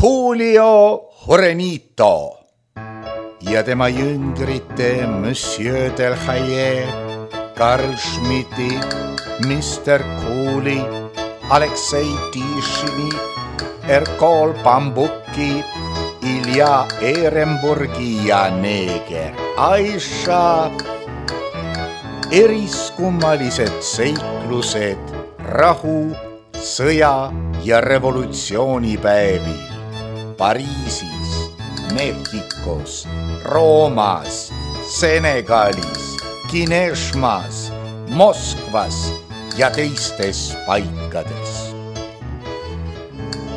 Julio Jurenito ja tema jüngrite Monsieur Delhaye, Karl Schmidti, Mr. Cooley, Aleksei Tišini, Erkol Bambuki, Ilja Ehrenburgi ja neeger Aisha. Eriskummalised seiklused rahu, sõja ja revolutsioonipäevil Pariisis, Mehhikos, Roomas, Senegalis, Kineshmas, Moskvas ja teistes paikades.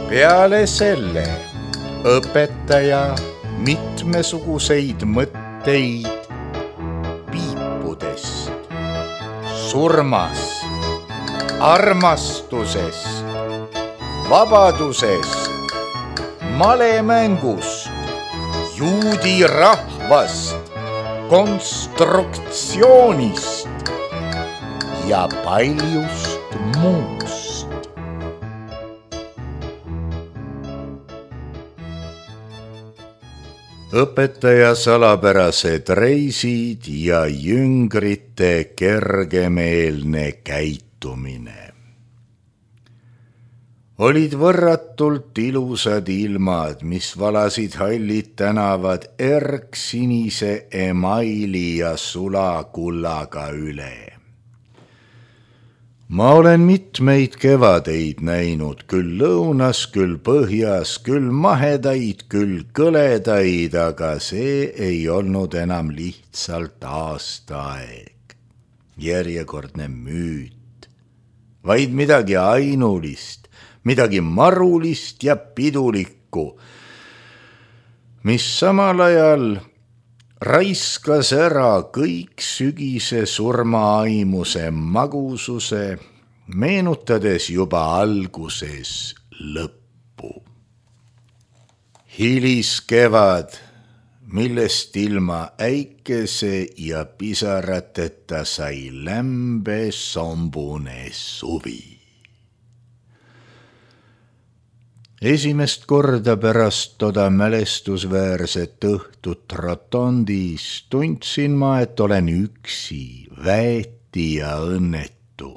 Peale selle õpetaja mitmesuguseid mõtteid piipudest, surmast, armastusest, vabadusest, malemängust, juudi rahvast, konstruktsioonist ja paljust muust. Õpetaja salapärased reisid ja jüngrite kergemeelne käitumine. Olid võrratult ilusad ilmad, mis valasid hallid tänavad erksinise emaili ja sulakullaga üle. Ma olen mitmeid kevadeid näinud, küll lõunas, küll põhjas, küll mahedaid, küll kõledaid, aga see ei olnud enam lihtsalt aastaaeg, järjekordne müüt, vaid midagi ainulist, midagi marulist ja pidulikku, mis samal ajal raiskas ära kõik sügise surmaaimuse magususe, meenutades juba alguses lõppu. Hiliskevad, millest ilma äikese ja pisarateta sai lämbe sombune suvi. Esimest korda pärast toda mälestusväärset õhtut rotondis tundsin ma, et olen üksi, väeti ja õnnetu.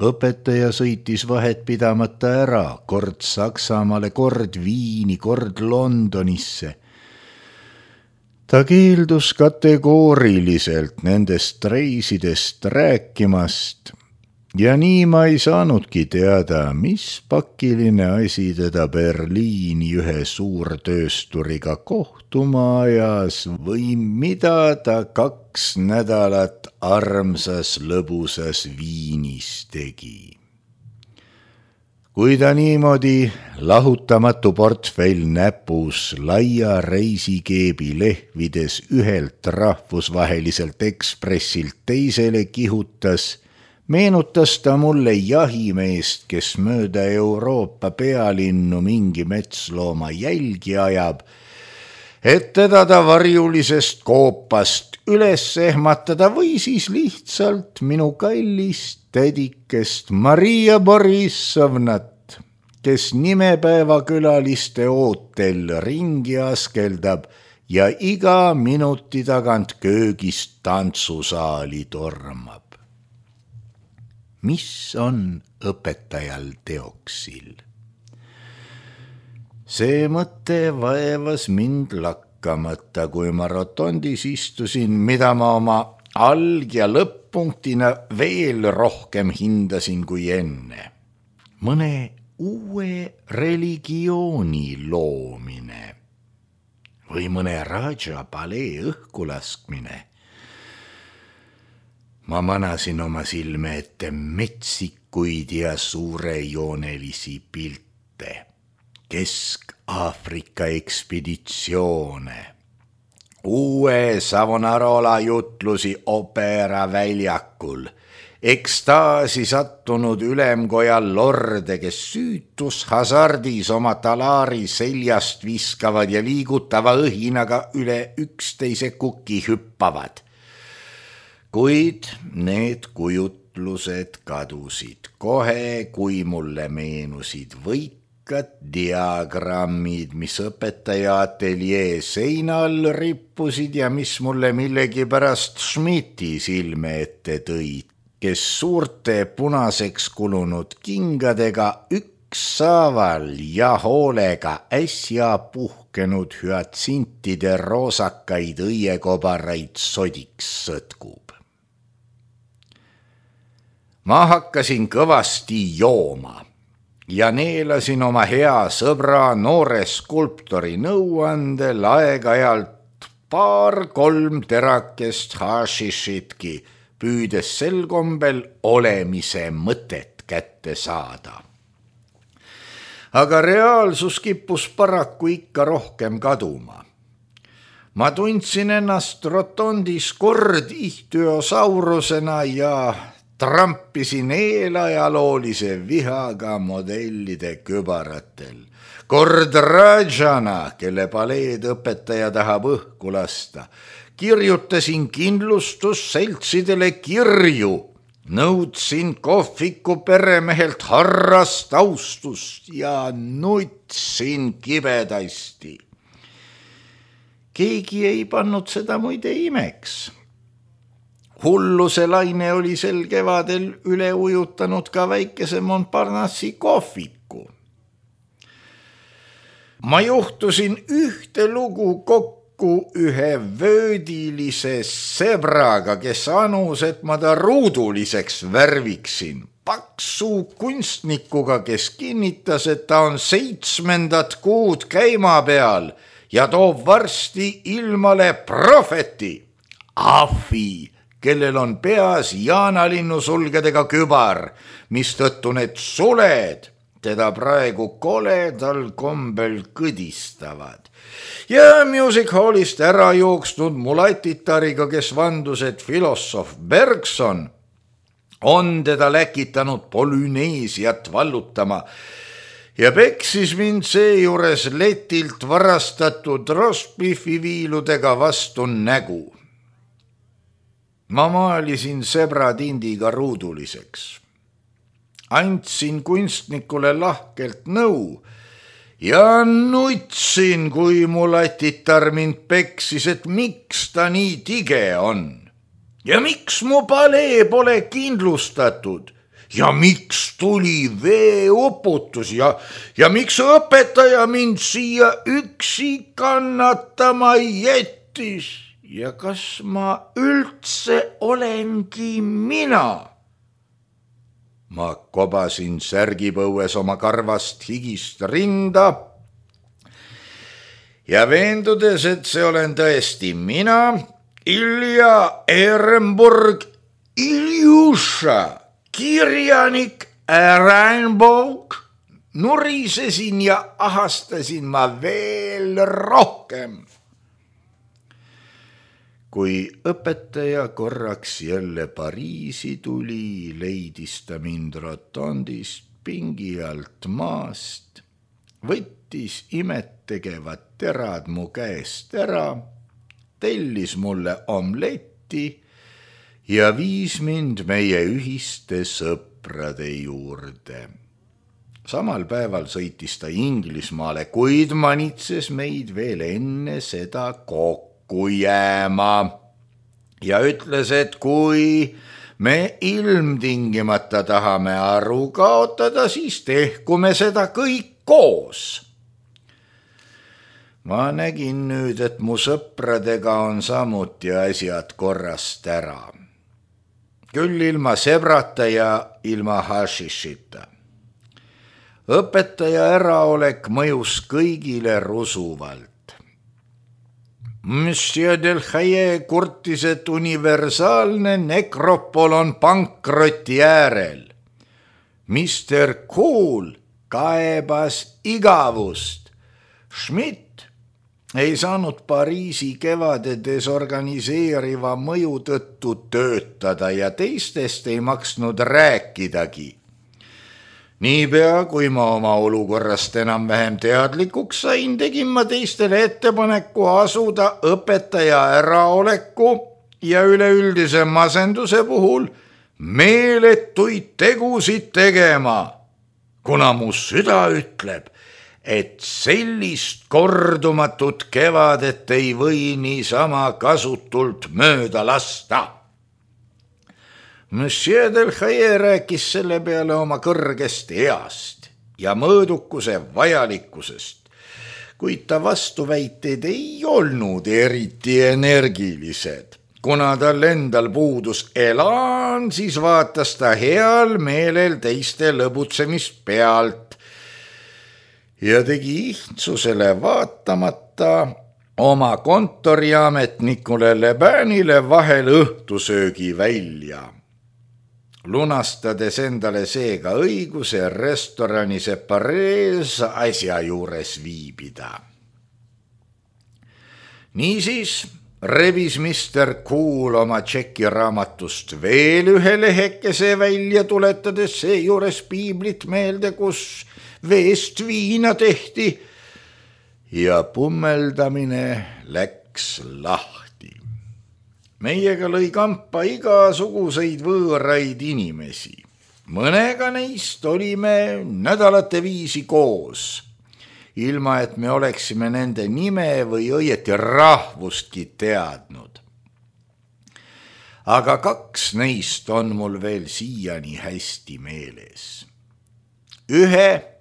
Õpetaja sõitis vahet pidamata ära, kord Saksamaale, kord Viini, kord Londonisse. Ta keeldus kategooriliselt nendest reisidest rääkimast. Ja nii ma ei saanudki teada, mis pakiline asi teda Berliini ühe suurtöösturiga kohtuma ajas või mida ta 2 nädalat armsas lõbusas Viinis tegi. Kui ta niimoodi lahutamatu portfell näpus laia reisikeebi lehvides ühelt rahvusvaheliselt ekspressilt teisele kihutas, meenutas ta mulle jahimeest, kes mööda Euroopa pealinnu mingi metslooma jälgi ajab, et teda ta varjulisest koopast üles ehmatada või siis lihtsalt minu kallist tädikest Maria Borissovnat, kes nimepäeva külaliste ootel ringi askeldab ja iga minuti tagant köögist tantsusaali tormab. Mis on õpetajal teoksil? See mõte vaevas mind lakkamata, kui ma rotondis istusin, mida ma oma alg- ja lõpp-punktina veel rohkem hindasin kui enne. Mõne uue religiooni loomine või mõne Raja palee õhkulaskmine. Ma manasin oma silme ette metsikuid ja suurejoonelisi pilte, Kesk-Aafrika ekspeditsioone, uue Savonarola jutlusi Opera väljakul, ekstaasi sattunud ülemkoja lorde, kes süütus hasardis oma talaari seljast viskavad ja liigutava õhinaga üle üksteise kuki hüppavad. Kuid need kujutlused kadusid kohe, kui mulle meenusid võit diagrammid, mis õpetaja ateljee seinal rippusid ja mis mulle millegipärast Schmidti silme ette tõid, kes suurte punaseks kulunud kingadega ükshaaval ja hoolega äsja puhkenud hüatsintide roosakaid õiekobaraid sodiks sõtkub. Ma hakkasin kõvasti jooma ja neelasin oma hea sõbra noore skulptori nõuandel aeg-ajalt 2-3 terakest hašišitki, püüdes sel kombel olemise mõtet kätte saada. Aga reaalsus kippus paraku ikka rohkem kaduma. Ma tundsin ennast rotondis kord ihtüosaurusena ja trampisin eelajaloolise vihaga modellide kübaratel. Kord Rajana, kelle paleed õpetaja tahab õhku lasta. Kirjutasin kindlustusseltsidele kirju. Nõudsin kohviku peremehelt harrast austust ja nutsin kibedasti. Keegi ei pannud seda muide imeks. Hulluse laine oli sel kevadel üle ujutanud ka väikese Montparnassi kohviku. Ma juhtusin ühte lugu kokku ühe vöödilise sebraga, kes anus, et ma ta ruuduliseks värviksin. Paksu kunstnikuga, kes kinnitas, et ta on 7. kuud käima peal ja toob varsti ilmale prohveti, ahvi, kellel on peas jaanalinnusulgedega kübar, mistõttu need suled teda praegu koledal kombel kõdistavad. Ja Music Hallist ära jooksnud mulatitariga, kes vandus, et filosoof Bergson on teda läkitanud Polüneesiat vallutama ja peksis mind seejuures letilt varastatud rostbiffi viiludega vastu nägu. Ma maalisin sebra tindiga ruuduliseks. Andsin kunstnikule lahkelt nõu ja nutsin, kui mulatitar mind peksis, et miks ta nii tige on. Ja miks mu palee pole kindlustatud? Ja miks tuli veeuputus? Ja miks õpetaja mind siia üksi kannatama jättis? Ja kas ma üldse olengi mina? Ma kobasin särgipõues oma karvast higist rinda ja veendudes, et see olen tõesti mina, Ilja Ehrenburg, Iljuša, kirjanik Rainbow, nurisesin ja ahastasin ma veel rohkem. Kui õpetaja korraks jälle Pariisi tuli, leidis ta mind rotondist pingi alt maast, võttis imettegevad terad mu käest ära, tellis mulle omletti ja viis mind meie ühiste sõprade juurde. Samal päeval sõitis ta Inglismaale, kuid manitses meid veel enne seda kokku jääma ja ütles, et kui me ilmtingimata tahame aru kaotada, siis tehku me seda kõik koos. Ma nägin nüüd, et mu sõpradega on samuti asjad korrast ära. Küll ilma sebrata ja ilma hašišita. Õpetaja äraolek mõjus kõigile rusuvalt. Monsieur Delhaye kurtis, et universaalne nekropol on pankroti äärel. Mr. Cool kaebas igavust. Schmidt ei saanud Pariisi kevade desorganiseeriva mõju tõttu töötada ja teistest ei maksnud rääkidagi. Niipea, kui ma oma olukorrast enam-vähem teadlikuks sain, tegin ma teistele ettepaneku asuda õpetaja äraoleku ja üleüldise masenduse puhul meeletuid tegusid tegema. kuna mu süda ütleb, et sellist kordumatut kevadet ei või niisama kasutult mööda lasta. Monsieur Delhaye rääkis selle peale oma kõrgest east ja mõõdukuse vajalikkusest, kuid ta vastuväiteid ei olnud eriti energilised. Kuna tal endal puudus elan, siis vaatas ta heal meelel teiste lõbutsemist pealt ja tegi ihtsusele vaatamata oma kontoriametnikule Lebanile vahel õhtusöögi välja, lunastades endale seega õiguse restorani Separees asja juures viibida. Niisiis rebis Mr. Cool oma tšekiraamatust veel ühe lehekese välja, tuletades seejuures piiblit meelde, kus veest viina tehti ja pummeldamine läks lahti. Meiega lõi kampa igasuguseid võõraid inimesi. Mõnega neist olime nädalate viisi koos, ilma et me oleksime nende nime või õieti rahvustki teadnud. Aga 2 neist on mul veel siiani hästi meeles. Ühe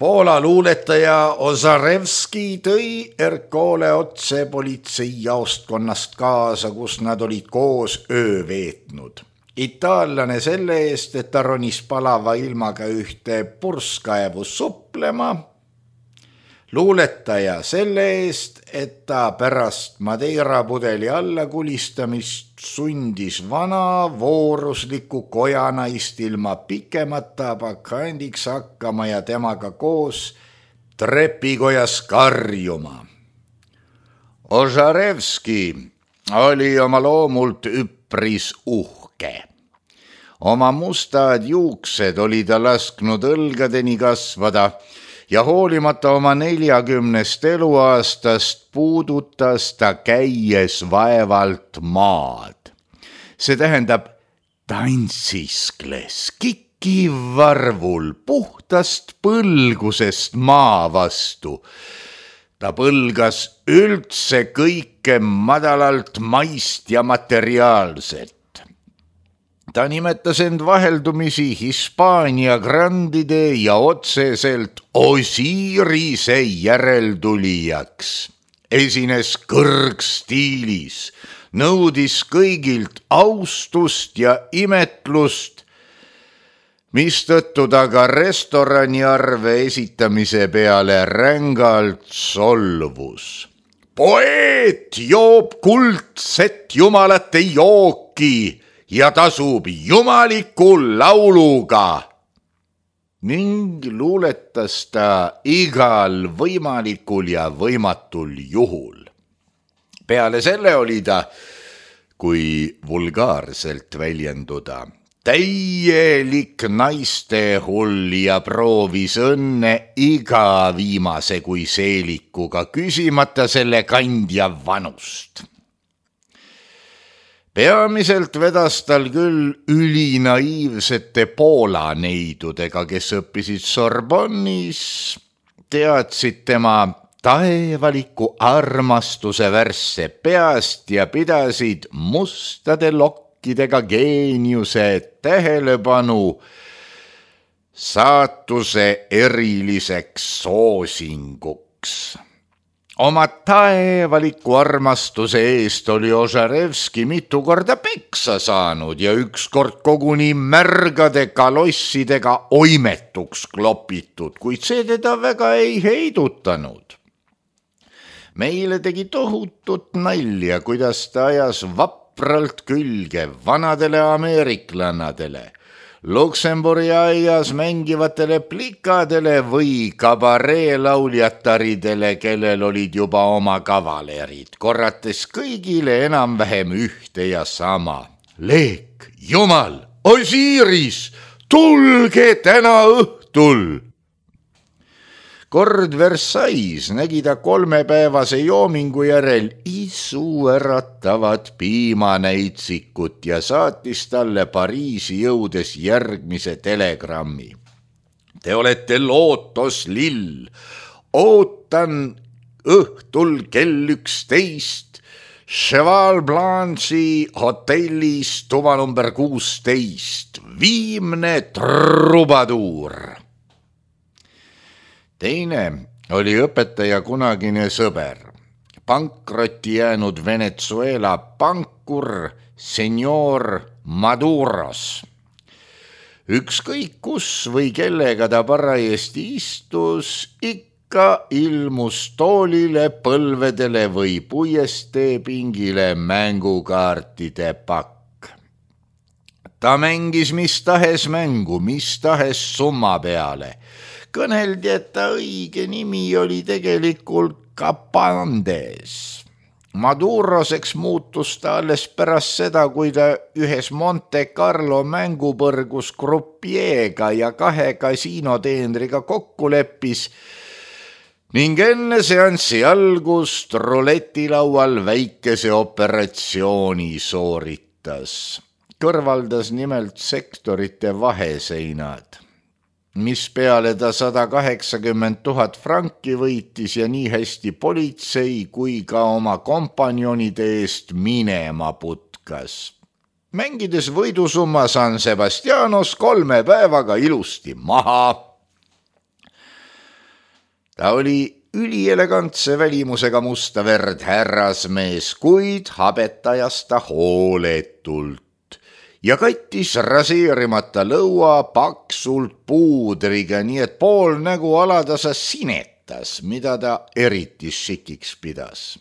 Poola luuletaja Ozarevski tõi Ercole otse politseijaostkonnast kaasa, kus nad olid koos öö veetnud. Itaallane selle eest, et ta ronis palava ilmaga ühte purskkaevu suplema. Luuletaja selle eest, et ta pärast Madeira pudeli alla kulistamist sundis vana voorusliku kojanaist ilma pikemata bakandiks hakkama ja temaga koos trepikojas karjuma. Ožarevski oli oma loomult üpris uhke. Oma mustad juuksed oli ta lasknud õlgadeni kasvada ja hoolimata oma 40 eluaastast puudutas ta käies vaevalt maad. See tähendab, tantsiskles kikivarvul puhtast põlgusest maa vastu. Ta põlgas üldse kõike madalalt maist ja materiaalset. Ta nimetas end vaheldumisi Hispaania grandide ja otseselt Osirise järeltulijaks. Esines kõrgstiilis, nõudis kõigilt austust ja imetlust, mistõttu ta ka restoraniarve esitamise peale rängalt solvus. Poeet joob kuldset jumalate jooki ja tasub jumaliku lauluga. Ning luuletas ta igal võimalikul ja võimatul juhul. Peale selle oli ta, kui vulgaarselt väljenduda, täielik naiste hull ja proovis õnne iga viimase kui seelikuga, küsimata selle kandja vanust. Peamiselt vedas tal küll ülinaiivsete Poola neidudega, kes õppisid Sorbonnis, teadsid tema taevaliku armastuse värsse peast ja pidasid mustade lokkidega geeniuse tähelepanu saatuse eriliseks soosinguks. Oma taevaliku armastuse eest oli Ožarevski mitu korda peksa saanud ja ükskord koguni märgade kalossidega oimetuks klopitud, kuid see teda väga ei heidutanud. Meile tegi tohutut nalja, kuidas ta ajas vapralt külge vanadele ameeriklannadele, Luksemburi aias mängivatele plikadele või kabareelauljataridele, kellel olid juba oma kavalerid, korrates kõigile enam-vähem ühte ja sama. Leek, Jumal, Osiris, tulge täna õhtul! Kord Versailles nägi ta 3-päevase joomingu järel isuäratavat piimanäitsikut ja saatis talle Pariisi jõudes järgmise telegrammi. Te olete lootoslill, ootan õhtul kell 11 Cheval Blanche'i hotellis tuba number 16, viimne trubaduur. Teine oli õpetaja kunagine sõber, pankrotti jäänud Venezuela pankur senior Maduros. Ükskõik kus või kellega ta parajasti istus, ikka ilmus toolile, põlvedele või puiesteepingile mängukaartide pakk. Ta mängis mis tahes mängu, mis tahes summa peale. Kõneldi, et ta õige nimi oli tegelikult Capandes. Maduroseks muutus ta alles pärast seda, kui ta ühes Monte Carlo mängupõrgus grupiega ja 2 kasiinoteenriga kokku leppis ning enne seanssi algust ruletilaual väikese operatsiooni sooritas. Kõrvaldas nimelt sektorite vaheseinad, mis peale ta 180 000 franki võitis ja nii hästi politsei kui ka oma kompanjonide eest minema putkas. Mängides võidusumma San Sebastianos 3 päevaga ilusti maha. Ta oli ülielegantse välimusega musta verd härrasmees, kuid habetajas ta hooletult ja kattis raseerimata lõua paksult puudriga, nii et pool nägu alatasa sinetas, mida ta eriti šikiks pidas.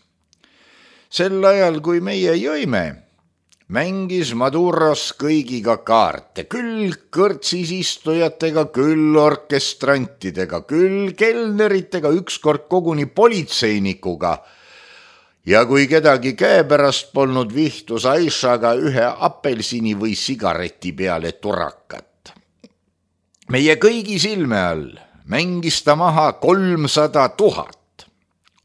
Sel ajal, kui meie jõime, mängis Maduros kõigiga kaarte, küll kõrtsis istujatega, küll orkestrantidega, küll kelneritega, ükskord koguni politseinikuga. Ja kui kedagi käepärast polnud, vihtus Aishaga 1 apelsini või sigareti peale turakat. Meie kõigi silme all mängis ta maha 300 000.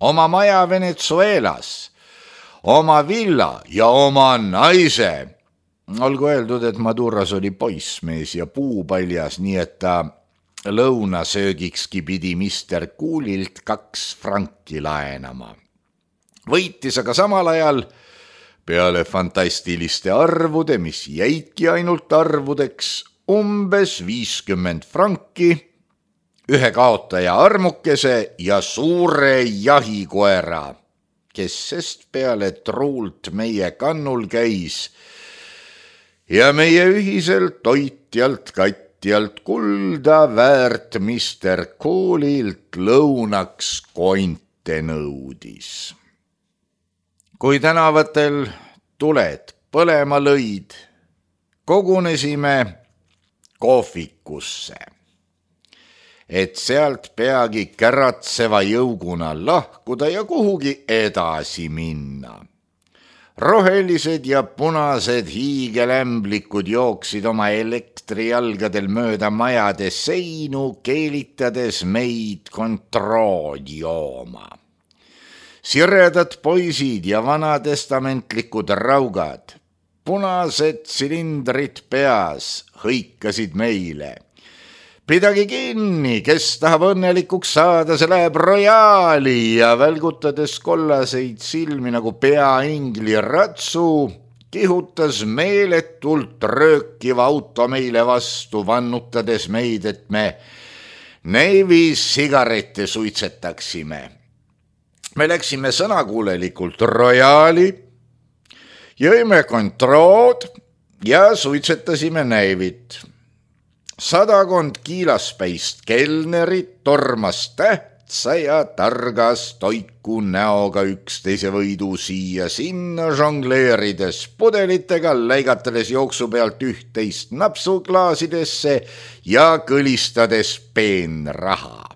Oma maja Venezuelas, oma villa ja oma naise. Olgu öeldud, et Maduros oli poissmees ja puupaljas, nii et ta lõunasöögikski pidi Mr. Coolilt 2 franki laenama. Võitis aga samal ajal peale fantastiliste arvude, mis jäidki ainult arvudeks, umbes 50 franki, 1 kaotaja armukese ja suure jahikoera, kes sest peale truult meie kannul käis ja meie ühiselt toitjalt katjalt kulda väärt Mr. Coolilt lõunaks konte nõudis. Kui tänavatel tuled põlema lõid, kogunesime kohvikusse, et sealt peagi käratseva jõuguna lahkuda ja kuhugi edasi minna. Rohelised ja punased hiigelämblikud jooksid oma elektrijalgadel mööda majade seinu, keelitades meid kontrood jooma. Siredad poisid ja vanatestamentlikud raugad, punased silindrid peas, hõikasid meile. Pidagi kinni, kes tahab õnnelikuks saada, see läheb Royali ja välgutades kollaseid silmi nagu peaingli ratsu, kihutas meeletult röökiva auto meile vastu, vannutades meid, et me Nevis sigarette suitsetaksime. Me läksime sõnakuulelikult Royali, jõime kontrood ja suitsetasime Nevit. 100 kiilaspäist kelnerit tormas tähtsa ja targa stoiku näoga üksteise võidu siia sinna žongleerides pudelitega, läigatades jooksu pealt 11 napsuklaasidesse ja kõlistades peenraha.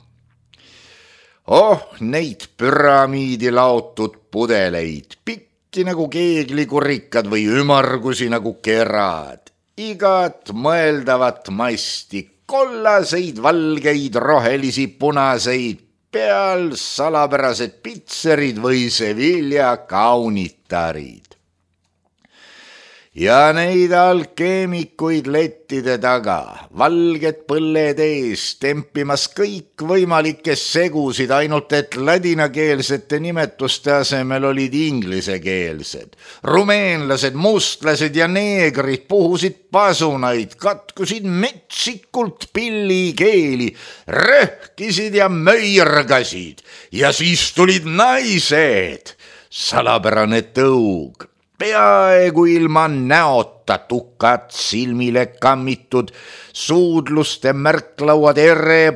Neid püramiidi laotud pudeleid, pikki nagu keeglikurikad või ümargusi nagu kerad, igat mõeldavat masti, kollaseid, valgeid, rohelisi, punaseid, peal salapärased pitserid või Sevilla kaunitarid. Ja neid alkeemikuid lettide taga, valged põlled ees, tempimas kõikvõimalikke segusid, ainult et ladinakeelsete nimetuste asemel olid inglisekeelsed. Rumeenlased, mustlased ja neegrid puhusid pasunaid, katkusid metsikult pillikeeli, röhkisid ja möirgasid ja siis tulid naised. Salapärane tõug. Peaaegu ilma näota tukad silmile kammitud, suudluste märklauad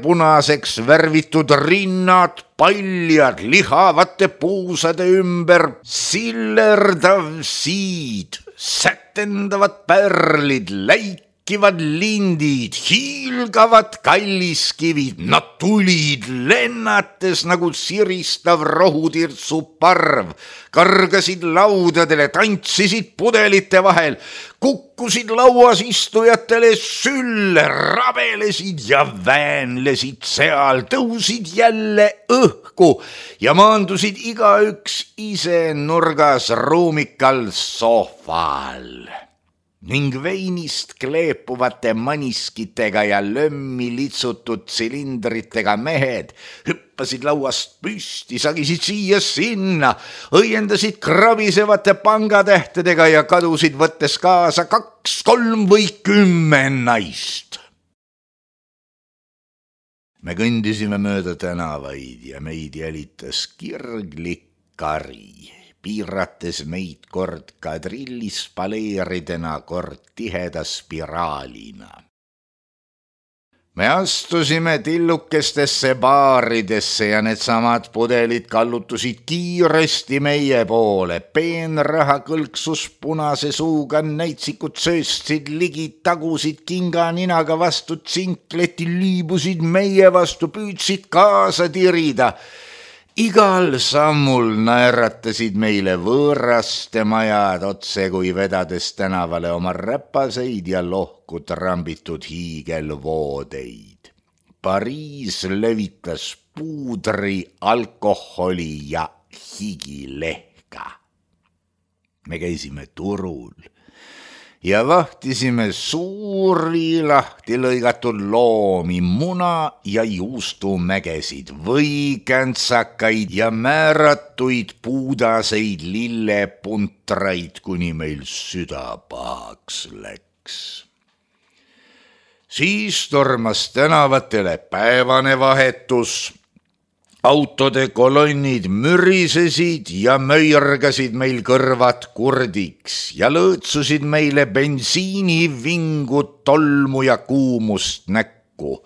punaseks värvitud, rinnad paljad lihavate puusade ümber, sillerdav siid, sätendavad pärlid, läikivad lindid, hiilgavad kalliskivid, nad tulid lennates nagu siristav rohutirtsu parv, kargasid laudadele, tantsisid pudelite vahel, kukkusid lauas istujatele sülle, rabelesid ja väänlesid seal, tõusid jälle õhku ja maandusid igaüks ise nurgas ruumikal sohval. Ning veinist kleepuvate maniskitega ja lömmi litsutud silindritega mehed hüppasid lauast püsti, sagisid siia-sinna, õiendasid krabisevate pangatähtedega ja kadusid, võttes kaasa 2, 3 või 10 naist. Me kõndisime mööda tänavaid ja meid jälitas kirglik kari, piirates meid kord kadrillispaleeridena, kord tiheda spiraalina. Me astusime tillukestesse baaridesse ja needsamad pudelid kallutusid kiiresti meie poole. Peenraha kõlksus punase suuga, näitsikud sööstsid ligi, tagusid kinga ninaga vastu tsinkleti, liibusid meie vastu, püüdsid kaasa tirida. Igal sammul naeratasid meile võõraste majad, otse kui vedades tänavale oma räpaseid ja lohku trambitud hiigelvoodeid. Pariis levitas puudri, alkoholi ja higilehka. Me käisime turul ja vahtisime suuri lahti lõigatud loomi, muna- ja juustumägesid, võikänsakaid ja määratuid puudaseid lillepuntraid, kuni meil süda pahaks läks. Siis tormas tänavatele päevane vahetus. Autode kolonnid mürisesid ja möirgasid meil kõrvad kurdiks ja lõõtsusid meile bensiinivingut, tolmu ja kuumust näkku.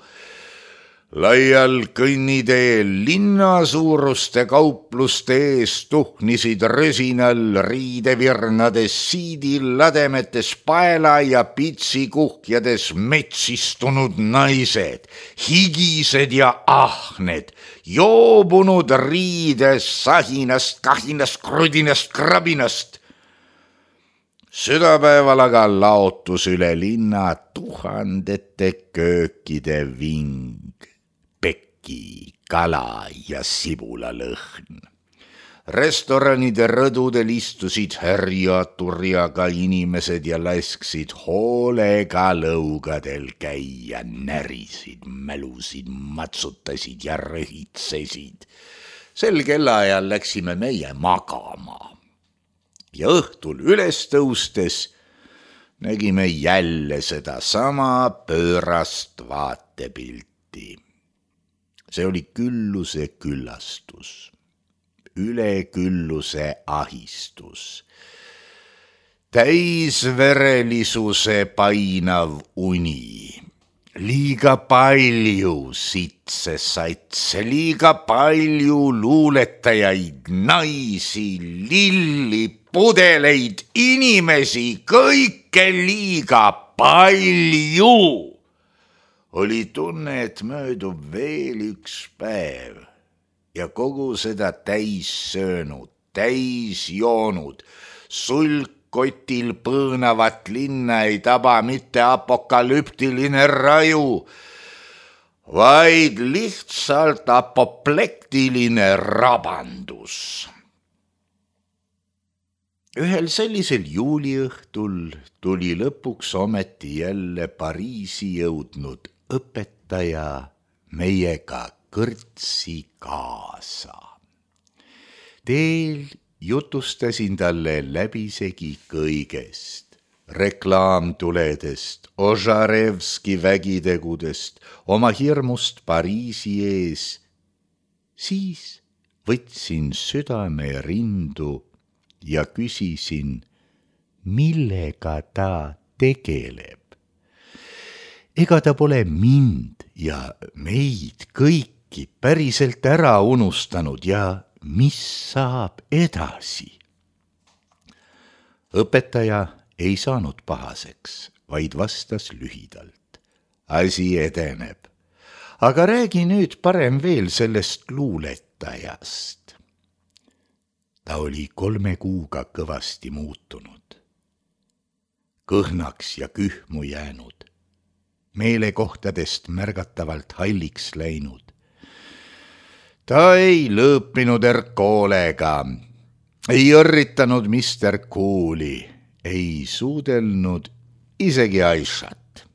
Laial kõnniteel linnasuuruste kaupluste ees tuhnisid rösinal riidevirnades, siidilademetes, paela ja pitsikuhjades metsistunud naised, higised ja ahned, joobunud riides sahinast, kahinast, krudinast, krabinast. Südapäeval aga laotus üle linna tuhandete köökide ving. Pekki, kala ja sibulalõhn. Restoranide rõdudel istusid härja-turjaga inimesed ja lasksid hoolega lõugadel käia, närisid, mälusid, matsutasid ja röhitsesid. Sel kellaajal läksime meie magama ja õhtul üles tõustes nägime jälle seda sama pöörast vaatepilti. See oli külluse küllastus, ülekülluse ahistus, täisverelisuse painav uni, liiga palju sitse-satse, liiga palju luuletajaid, naisi, lilli, pudeleid, inimesi, kõike liiga palju. Oli tunne, et möödub veel üks päev ja kogu seda täis söönud, täis joonud, sulgkotil põõnavat linna ei taba mitte apokalüptiline raju. vaid lihtsalt apoplektiline rabandus. Ühel sellisel juuliõhtul tuli lõpuks ometi jälle Pariisi jõudnud õpetaja meiega kõrtsi kaasa. Teel jutustasin talle läbisegi kõigest, reklaamtuledest, Ožarevski vägitegudest, oma hirmust Pariisi ees. Siis võtsin südame rindu ja küsisin, millega ta tegeleb. Ega ta pole mind ja meid kõiki päriselt ära unustanud ja mis saab edasi? Õpetaja ei saanud pahaseks, vaid vastas lühidalt. Asi edeneb. Aga räägi nüüd parem veel sellest luuletajast. Ta oli 3 kuuga kõvasti muutunud, kõhnaks ja kühmu jäänud, meelekohtadest märgatavalt halliks läinud. Ta ei lõõpinud Erkolega, ei õrritanud Mr. Cooli, ei suudelnud isegi Aishat.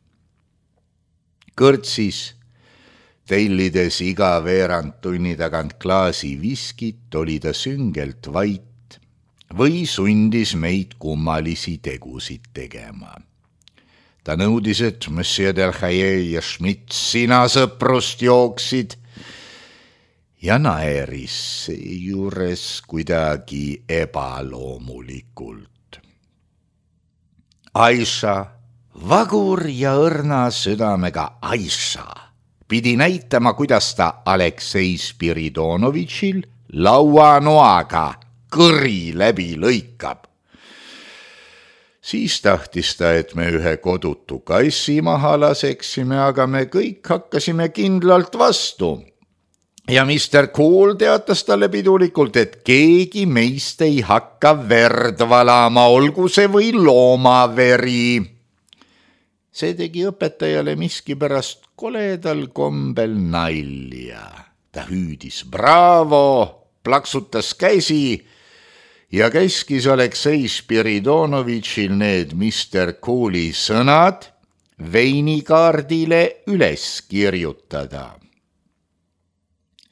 Kõrtsis, tellides iga veerand tunni tagant klaasi viskit, oli ta süngelt vait või sundis meid kummalisi tegusid tegema. Ta nõudis, et Monsieur Delhaye ja Schmidt sina sõprust jooksid ja naeris juures kuidagi ebaloomulikult. Aisha, vagur ja õrna südamega Aisha, pidi näitama, kuidas ta Aleksei Spiridonovitšil lauanoaga kõri läbi lõikab. Siis tahtis ta, et me ühe kodutu kassi maha laseksime, aga me kõik hakkasime kindlalt vastu. Ja Mr. Cool teatas talle pidulikult, et keegi meist ei hakka verd valama, olgu see või loomaveri. See tegi õpetajale miskipärast koledal kombel nalja. Ta hüüdis bravo, plaksutas käsi ja käskis Aleksei Spiridonovitšil need Mr. Cooli sõnad veinikaardile üles kirjutada.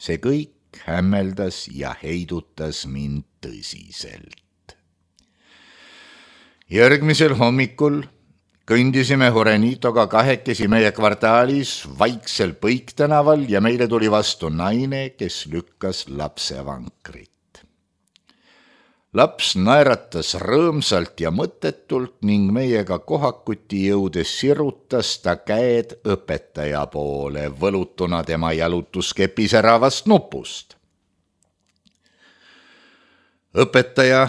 See kõik hämmeldas ja heidutas mind tõsiselt. Järgmisel hommikul kõndisime Horenitoga 2 meie kvartaalis vaiksel Põiktänaval ja meile tuli vastu naine, kes lükkas lapsevankrit. Laps naeratas rõõmsalt ja mõttetult ning meiega kohakuti jõudes sirutas ta käed õpetaja poole, võlutuna tema jalutuskepi säravast nupust. Õpetaja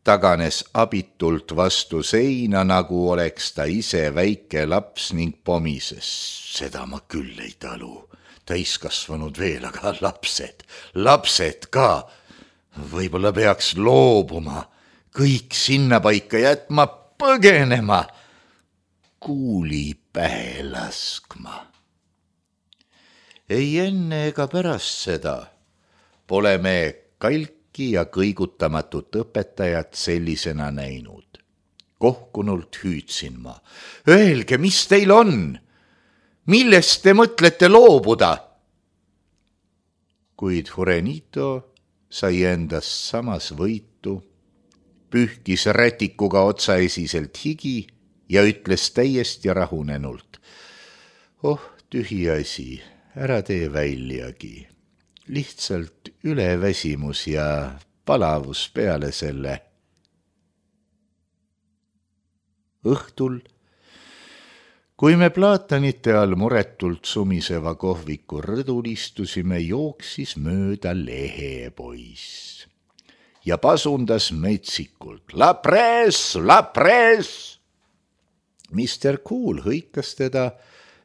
taganes abitult vastu seina, nagu oleks ta ise väike laps ning pomises. Seda ma küll ei talu. Täiskasvanud veel, aga lapsed ka. Võib-olla peaks loobuma, kõik sinna paika jätma, põgenema, kuuli pähe laskma. Ei enne ega pärast seda pole me kalki ja kõigutamatut õpetajat sellisena näinud. Kohkunult hüüdsin ma. Öelge, mis teil on? Millest te mõtlete loobuda? Kuid Horenito sai endast samas võitu, pühkis rätikuga otsaesiselt higi ja ütles täiesti rahunenult. Oh, tühi asi, ära tee väljagi. Lihtsalt üleväsimus ja palavus peale selle. Õhtul, kui me plaatanite all muretult sumiseva kohviku rõdul istusime, jooksis mööda lehepoiss ja pasundas metsikult. La presse, la presse! Mr. Cool hõikas teda,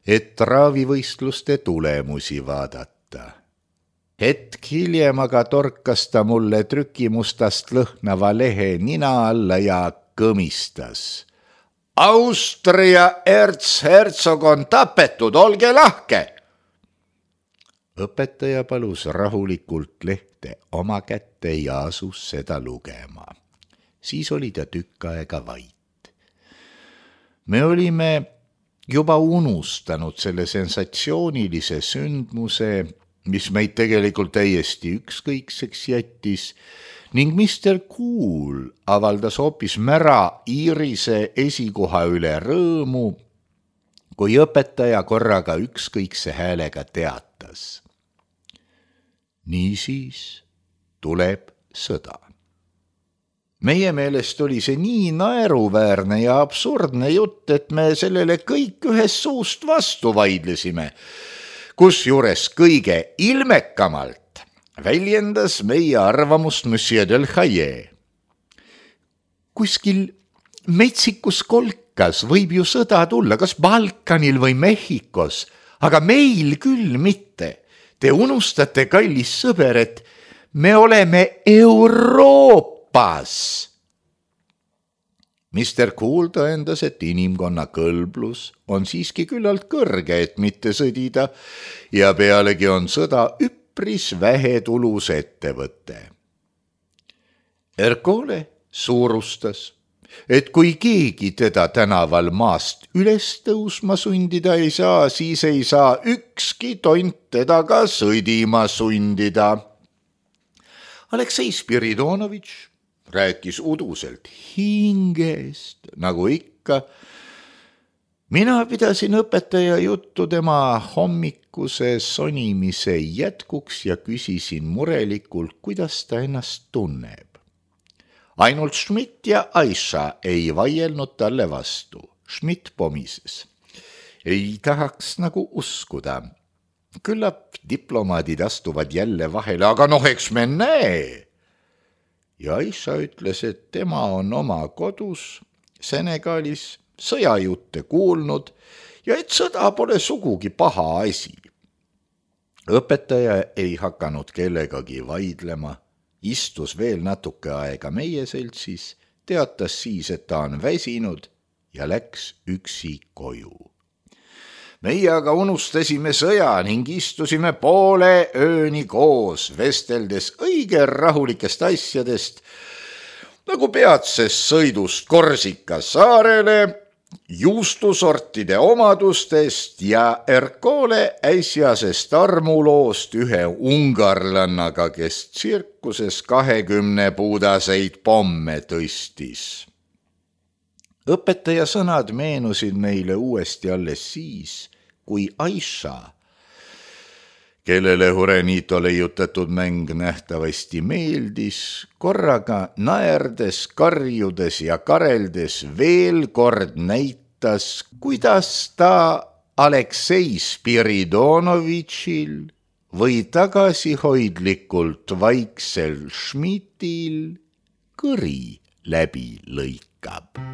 et raavivõistluste tulemusi vaadata. Hetk hiljem aga torkas ta mulle trükimustast lõhnava lehe nina alla ja kõmistas. Austria erzhertsog on tapetud, olge lahke! Õpetaja palus rahulikult lehte oma kätte ja asus seda lugema. Siis oli ta tükk aega vait. Me olime juba unustanud selle sensatsioonilise sündmuse, mis meid tegelikult täiesti ükskõikseks jättis, ning Mr. Cool avaldas hoopis mära Iirise esikoha üle rõõmu, kui õpetaja korraga ükskõikse häälega teatas. Niisiis tuleb sõda. Meie meelest oli see nii naeruväärne ja absurdne jutt, et me sellele kõik ühest suust vastu vaidlesime, kusjuures kõige ilmekamalt väljendas meie arvamust Monsieur del Haye. Kuskil metsikus kolkas võib ju sõda tulla, kas Balkanil või Mehhikos, aga meil küll mitte. Te unustate, kallis sõber, et me oleme Euroopas. Mr. Cool tõendas, et inimkonna kõlblus on siiski küllalt kõrge, et mitte sõdida, ja pealegi on sõda üpris vähetulus ettevõte. Ercole suurustas, et kui keegi teda tänaval maast üles tõusma sundida ei saa, siis ei saa ükski tont teda ka sõdima sundida. Aleksei Spiridonovitš rääkis uduselt hingest, nagu ikka. Mina pidasin õpetaja juttu tema hommikuse sonimise jätkuks ja küsisin murelikult, kuidas ta ennast tunneb. Ainult Schmidt ja Aisha ei vaielnud talle vastu. Schmidt pomises. Ei tahaks nagu uskuda. Küllap diplomaadid astuvad jälle vahele, aga eks me näe. Ja Aisha ütles, et tema on oma kodus Senegalis sõjajutte kuulnud ja et sõda pole sugugi paha asi. Õpetaja ei hakanud kellegagi vaidlema. Istus veel natuke aega meie seltsis, teatas siis, et ta on väsinud ja läks üksi koju. Meie aga unustasime sõja ning istusime poole ööni koos, vesteldes õige rahulikest asjadest, nagu peatsest sõidust Korsika saarele, juustusortide omadustest ja Ercole äsjasest armuloost ühe ungarlannaga, kes tsirkuses 20 puudaseid pomme tõstis. Õpetaja sõnad meenusid meile uuesti alles siis, kui Aisha, kellele Jurenito leiutatud mäng nähtavasti meeldis, korraga naerdes, karjudes ja kareldes veel kord näitas, kuidas ta Aleksei Spiridonovitšil või tagasihoidlikult vaiksel Schmidtil kõri läbi lõikab.